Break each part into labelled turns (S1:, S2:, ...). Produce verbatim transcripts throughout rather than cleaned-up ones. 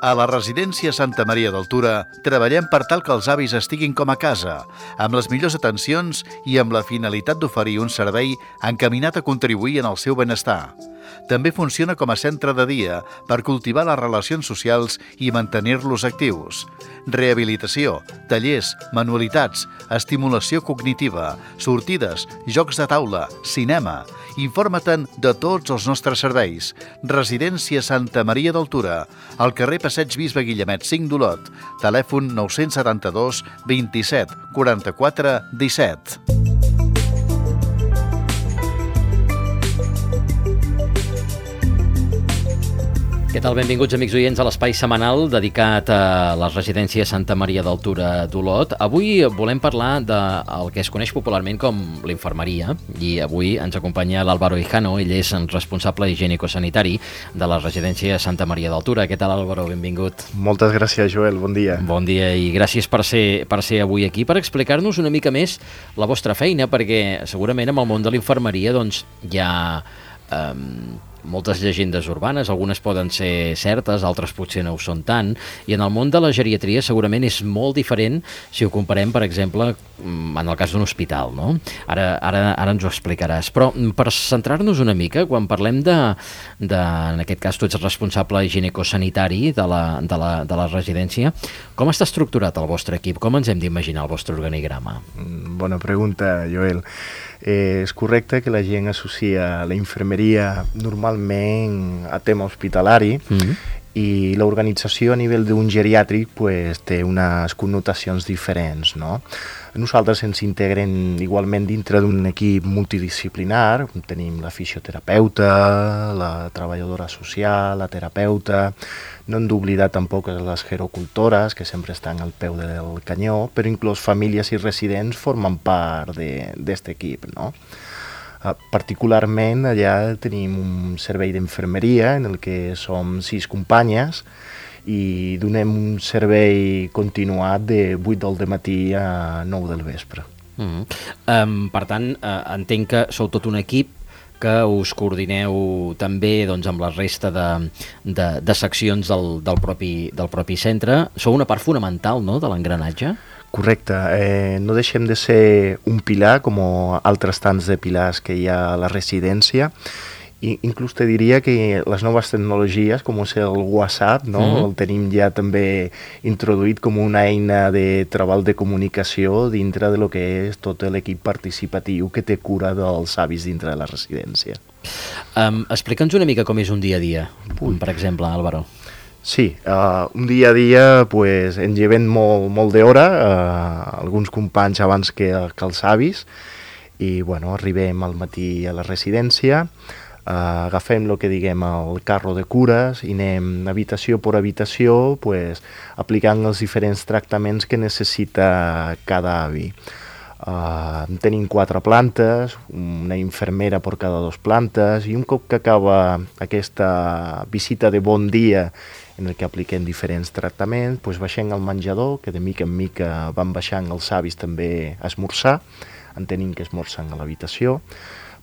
S1: A la residència Santa Maria d'Altura treballem per tal que els avis estiguin com a casa, amb les millors atencions i amb la finalitat d'oferir un servei encaminat a contribuir en el seu benestar. També funciona com a centre de dia per cultivar les relacions socials i mantenir-los actius. Rehabilitació, tallers, manualitats, estimulació cognitiva, sortides, jocs de taula, cinema. Informa-te'n de tots els nostres serveis. Residència Santa Maria d'Altura, al carrer Passeig Bisbe Guillemet cinc d'Olot, telèfon nou set dos, vint-i-set, quaranta-quatre, disset.
S2: Què tal? Benvinguts, amics oients, a l'espai setmanal dedicat a la residència Santa Maria d'Altura d'Olot. Avui volem parlar del que es coneix popularment com l'infermeria i avui ens acompanya l'Álvaro Hijano. Ell és responsable higiènico-sanitari de la residència Santa Maria d'Altura. Què tal, Álvaro? Benvingut.
S3: Moltes gràcies, Joel. Bon dia.
S2: Bon dia i gràcies per ser, per ser avui aquí, per explicar-nos una mica més la vostra feina, perquè segurament en el món de l'infermeria doncs, hi ha Eh, moltes llegendes urbanes, algunes poden ser certes, altres potser no ho són tant, i en el món de la geriatria segurament és molt diferent si ho comparem, per exemple, en el cas d'un hospital, no? Ara, ara, ara ens ho explicaràs. Però per centrar-nos una mica, quan parlem de, de en aquest cas tu ets responsable higiènico-sanitari de la, de, la, de la residència, com està estructurat el vostre equip? Com ens hem d'imaginar el vostre organigrama?
S3: Bona pregunta, Joel. Eh, és correcte que la gent associa la infermeria normalment a tema hospitalari, mm-hmm. i l'organització a nivell d'un geriàtric pues, té unes connotacions diferents, no? Nosaltres ens integrem igualment dintre d'un equip multidisciplinar, tenim la fisioterapeuta, la treballadora social, la terapeuta, no hem d'oblidar tampoc les gerocultores, que sempre estan al peu del canyó, però inclús famílies i residents formen part d'aquest equip, no? Uh, particularment allà tenim un servei d'infermeria en el que som sis companyes i donem un servei continuat de vuit del matí a nou del vespre.
S2: Mm-hmm. um, per tant, uh, entenc que sou tot un equip que us coordineu també doncs, amb la resta de, de, de seccions del, del, propi, del propi centre. Sou una part fonamental, no?, de l'engranatge?
S3: Correcte. Eh, no deixem de ser un pilar, com altres tants de pilars que hi ha a la residència. I inclús te diria que les noves tecnologies, com és el WhatsApp, no? Mm-hmm. El tenim ja també introduït com una eina de treball de comunicació dintre de lo que és tot l'equip participatiu que té cura dels avis dintre de la residència.
S2: Um, Explica'ns una mica com és un dia a dia, Ui. per exemple, Álvaro.
S3: Sí, uh, un dia a dia pues, ens llevem molt, molt d'hora, uh, alguns companys abans que, que els avis, i bueno, arribem al matí a la residència, Uh, agafem el que diguem el carro de cures i anem habitació per habitació pues, aplicant els diferents tractaments que necessita cada avi. Uh, tenim quatre plantes, una infermera per cada dues plantes i un cop que acaba aquesta visita de bon dia en el que apliquem diferents tractaments, pues, baixem al menjador, que de mica en mica van baixant els avis també a esmorzar, en tenim que esmorzen a l'habitació.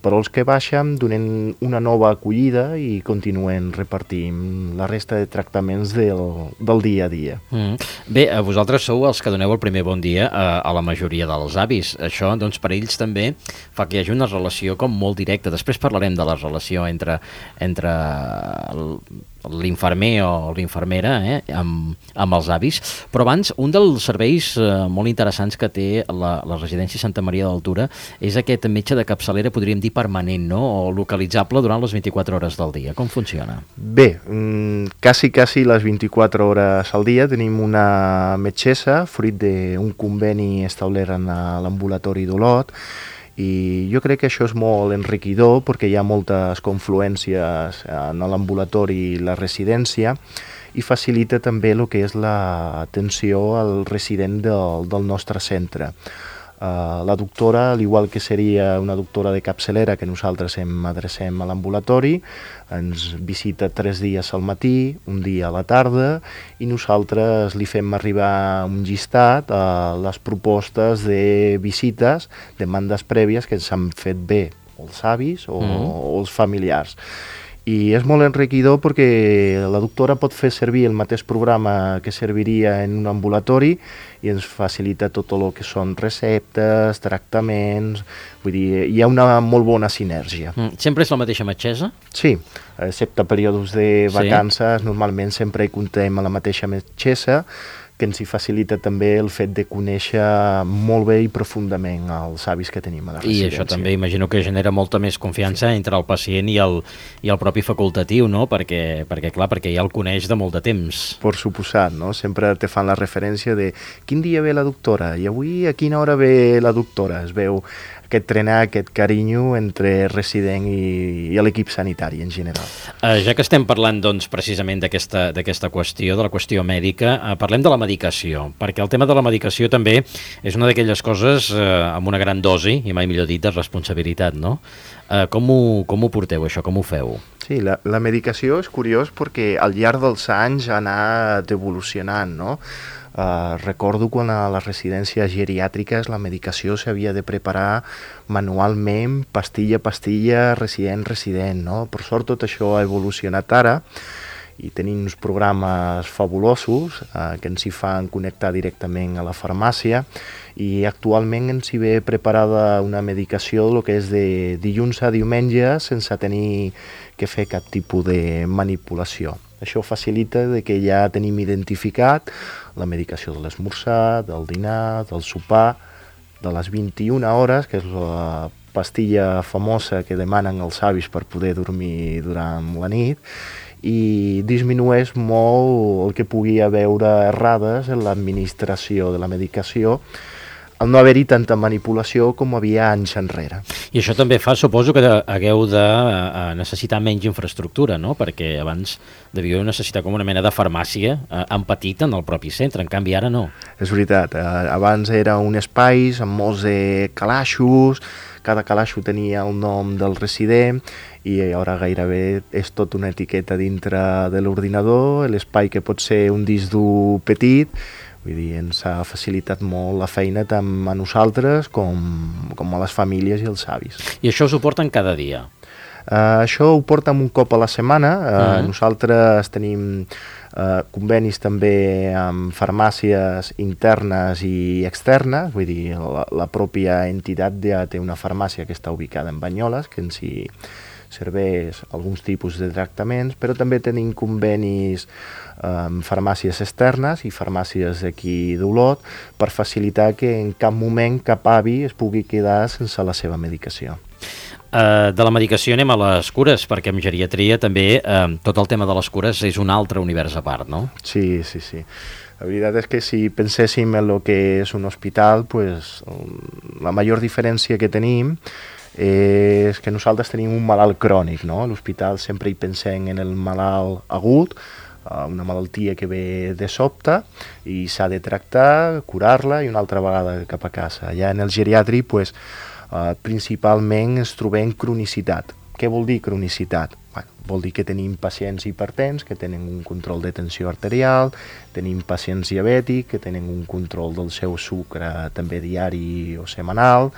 S3: Però els que baixen donen una nova acollida i continuen repartint la resta de tractaments del, del dia a dia.
S2: Mm. Bé, vosaltres sou els que doneu el primer bon dia a, a la majoria dels avis. Això, doncs, per ells també fa que hi hagi una relació com molt directa. Després parlarem de la relació entre, entre l'infermer o l'infermera eh, amb, amb els avis. Però abans, un dels serveis eh, molt interessants que té la, la residència Santa Maria d'Altura és aquest metge de capçalera, podríem dir, permanent, no? O localitzable durant les vint-i-quatre hores del dia. Com funciona?
S3: Bé, mm, quasi, quasi les vint-i-quatre hores al dia tenim una metgessa, fruit d'un conveni establert en l'ambulatori d'Olot, i jo crec que això és molt enriquidor perquè hi ha moltes confluències en l'ambulatori i la residència i facilita també el que és l'atenció al resident del, del nostre centre. Uh, la doctora, al igual que seria una doctora de capçalera que nosaltres em adrecem a l'ambulatori, ens visita tres dies al matí, un dia a la tarda, i nosaltres li fem arribar un llistat a les propostes de visites, demandes prèvies que ens han fet bé els avis o, mm. o els familiars. I és molt enriquidor perquè la doctora pot fer servir el mateix programa que serviria en un ambulatori i ens facilita tot el que són receptes, tractaments, vull dir, hi ha una molt bona sinergia.
S2: Mm, sempre és la mateixa metgessa?
S3: Sí, excepte períodes de vacances, sí. Normalment sempre hi contem a la mateixa metgessa, que ens hi facilita també el fet de conèixer molt bé i profundament els avis que tenim a la residència.
S2: I això també imagino que genera molta més confiança sí. entre el pacient i el, i el propi facultatiu, no? Perquè, perquè, clar, perquè ja el coneix de molt de temps.
S3: Per suposat, no? Sempre te fan la referència de quin dia ve la doctora i avui a quina hora ve la doctora. Es veu aquest trenar, aquest carinyo entre resident i, i l'equip sanitari en general.
S2: Uh, ja que estem parlant doncs, precisament d'aquesta d'aquesta qüestió, de la qüestió mèdica, uh, parlem de la medicació, perquè el tema de la medicació també és una d'aquelles coses uh, amb una gran dosi, i mai millor dit, de responsabilitat, no? Uh, com, ho, com ho porteu, això? Com ho feu?
S3: Sí, la, la medicació és curiós perquè al llarg dels anys ha anat evolucionant, no? Uh, recordo quan a les residències geriàtriques la medicació s'havia de preparar manualment, pastilla a pastilla, resident resident, no? Per sort tot això ha evolucionat ara i tenim uns programes fabulosos uh, que ens hi fan connectar directament a la farmàcia i actualment ens hi ve preparada una medicació el que és de dilluns a diumenge sense tenir que fer cap tipus de manipulació. Això facilita de que ja tenim identificat la medicació de l'esmorzar, del dinar, del sopar, de les vint-i-una hores, que és la pastilla famosa que demanen els avis per poder dormir durant la nit, i disminueix molt el que pugui haver errades en l'administració de la medicació, al no haver-hi tanta manipulació com havia anys enrere.
S2: I això també fa, suposo, que hagueu de uh, necessitar menys infraestructura, no? Perquè abans devíeu necessitar com una mena de farmàcia uh, en petit en el propi centre, en canvi ara no.
S3: És veritat, uh, abans era un espai amb molts de calaixos, cada calaixo tenia el nom del resident i ara gairebé és tot una etiqueta dintre de l'ordinador, l'espai que pot ser un disc dur petit. Vull dir, ens ha facilitat molt la feina tant a nosaltres com, com a les famílies i els avis.
S2: I això ho suporten cada dia?
S3: Uh, això ho portem un cop a la setmana. Uh, uh-huh. Nosaltres tenim uh, convenis també amb farmàcies internes i externes, vull dir, la, la pròpia entitat ja té una farmàcia que està ubicada en Banyoles, que ens hi serveix alguns tipus de tractaments, però també tenim convenis amb farmàcies externes i farmàcies d'aquí d'Olot per facilitar que en cap moment cap avi es pugui quedar sense la seva medicació.
S2: Uh, de la medicació anem a les cures, perquè en geriatria també uh, tot el tema de les cures és un altre univers a part, no?
S3: Sí, sí, sí. La veritat és que si penséssim en el que és un hospital, pues, la major diferència que tenim és que nosaltres tenim un malalt crònic, no? A l'hospital sempre hi pensem en el malalt agut, una malaltia que ve de sobte i s'ha de tractar, curar-la i una altra vegada cap a casa. Ja en el geriàtric, pues, uh, principalment ens trobem cronicitat. Què vol dir cronicitat? Bueno, vol dir que tenim pacients hipertens que tenen un control de tensió arterial, tenim pacients diabètics que tenen un control del seu sucre també diari o setmanal.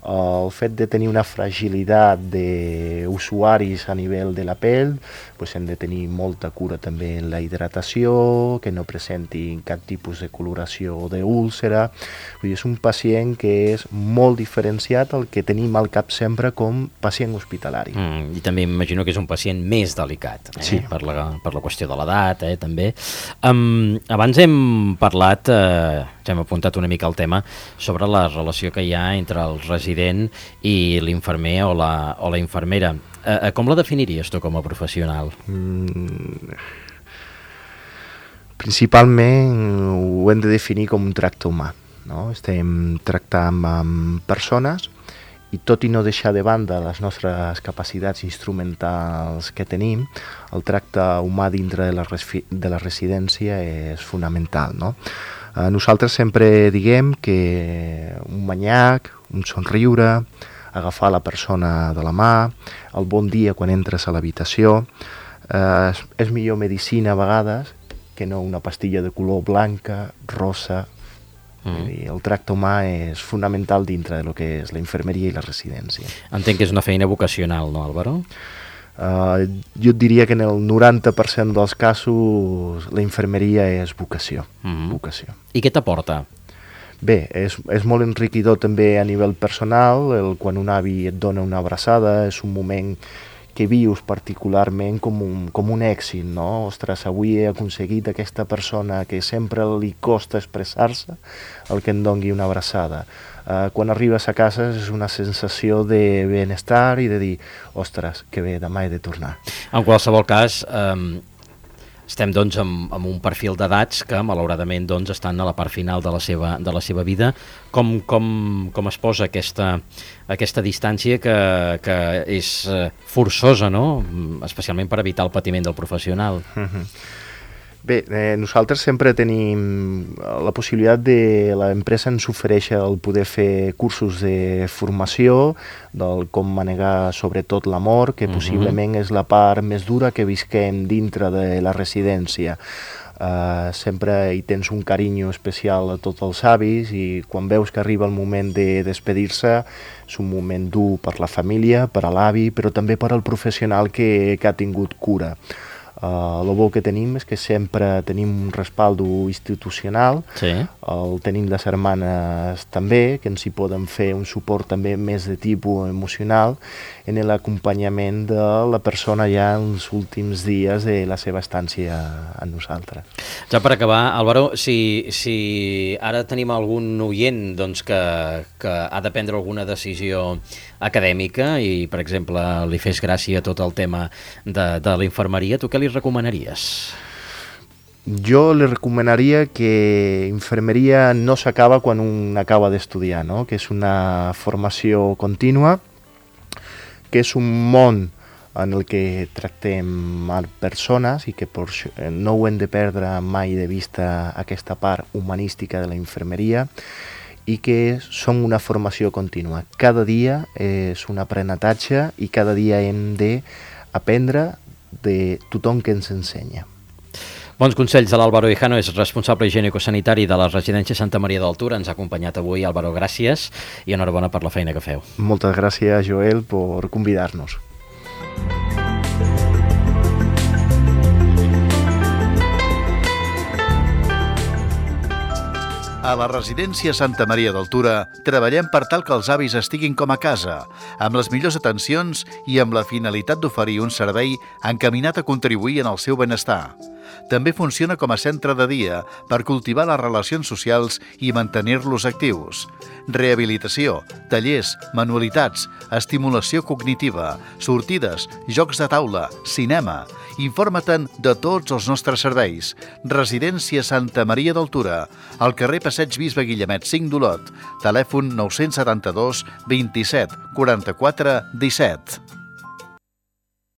S3: El fet de tenir una fragilitat d'usuaris a nivell de la pell, doncs hem de tenir molta cura també en la hidratació, que no presentin cap tipus de coloració o d'úlcera. Vull dir, és un pacient que és molt diferenciat al que tenim al cap sempre com pacient hospitalari.
S2: Mm, I també imagino que és un pacient més delicat, eh?
S3: Sí.
S2: per, la, per la qüestió de l'edat, eh, també. Um, abans hem parlat, eh, ja hem apuntat una mica el tema, sobre la relació que hi ha entre el resident i l'infermer o la, o la infermera. Eh, com la definiries tu com a professional?
S3: Mm, principalment ho hem de definir com un tracte humà, no? Estem tractant amb persones i tot i no deixar de banda les nostres capacitats instrumentals que tenim, el tracte humà dintre de la, de la residència és fonamental, no? Eh, nosaltres sempre diguem que un manyac, un somriure, agafar la persona de la mà, el bon dia quan entres a l'habitació, eh, és, és millor medicina a vegades que no una pastilla de color blanca, rosa. Mm. Dir, el tracte humà és fonamental dintre del que és la infermeria i la residència.
S2: Entenc que és una feina vocacional, no, Álvaro?
S3: Uh, jo et diria que en el noranta per cent dels casos la infermeria és vocació.
S2: Mm-hmm.
S3: vocació.
S2: I què t'aporta?
S3: Bé, és, és molt enriquidor també a nivell personal, el, quan un avi et dona una abraçada, és un moment que vius particularment com un, com un èxit, no? Ostres, avui he aconseguit aquesta persona que sempre li costa expressar-se, el que em doni una abraçada. Uh, quan arribes a casa és una sensació de benestar i de dir, ostres, que bé, demà he de tornar.
S2: En qualsevol cas, eh, estem doncs amb, amb un perfil d'edats que malauradament doncs, estan a la part final de la seva, de la seva vida. Com, com, com es posa aquesta, aquesta distància que, que és forçosa, no? Especialment per evitar el patiment del professional?
S3: Mm-hmm. Bé, eh, nosaltres sempre tenim la possibilitat de... L'empresa ens ofereix el poder fer cursos de formació del com manegar sobretot l'amor, que uh-huh. possiblement és la part més dura que visquem dintre de la residència. Uh, sempre hi tens un carinyo especial a tots els avis i quan veus que arriba el moment de despedir-se és un moment dur per la família, per a l'avi, però també per al professional que, que ha tingut cura. Uh, el bo que tenim és que sempre tenim un respaldo institucional,
S2: sí.
S3: El tenim les germanes també, que ens hi poden fer un suport també més de tipus emocional en l'acompanyament de la persona ja en els últims dies de la seva estància amb nosaltres.
S2: Ja per acabar, Álvaro, si, si ara tenim algun oient doncs, que, que ha de prendre alguna decisió acadèmica i, per exemple, li fes gràcia tot el tema de, de la infermeria, tu què li recomanaries?
S3: Jo li recomanaria que infermeria no s'acaba quan un acaba d'estudiar, no? Que és una formació contínua, que és un món en el que tractem persones i que per, no ho hem de perdre mai de vista aquesta part humanística de la infermeria i que som una formació contínua. Cada dia és un aprenentatge i cada dia hem d'aprendre de tothom que ens ensenya.
S2: Bons consells de l'Álvaro Hijano, és responsable higiènico-sanitari de la residència Santa Maria d'Altura. Ens ha acompanyat avui. Álvaro, gràcies i enhorabona per la feina que feu.
S3: Moltes gràcies, Joel, per convidar-nos.
S1: A la residència Santa Maria d'Altura treballem per tal que els avis estiguin com a casa, amb les millors atencions i amb la finalitat d'oferir un servei encaminat a contribuir en el seu benestar. També funciona com a centre de dia per cultivar les relacions socials i mantenir-los actius. Rehabilitació, tallers, manualitats, estimulació cognitiva, sortides, jocs de taula, cinema. Informa-te'n de tots els nostres serveis. Residència Santa Maria d'Altura, al carrer Passeig Bisbe Guillemet cinc d'Olot, telèfon nou setanta dos, vint-i-set, quaranta-quatre, disset.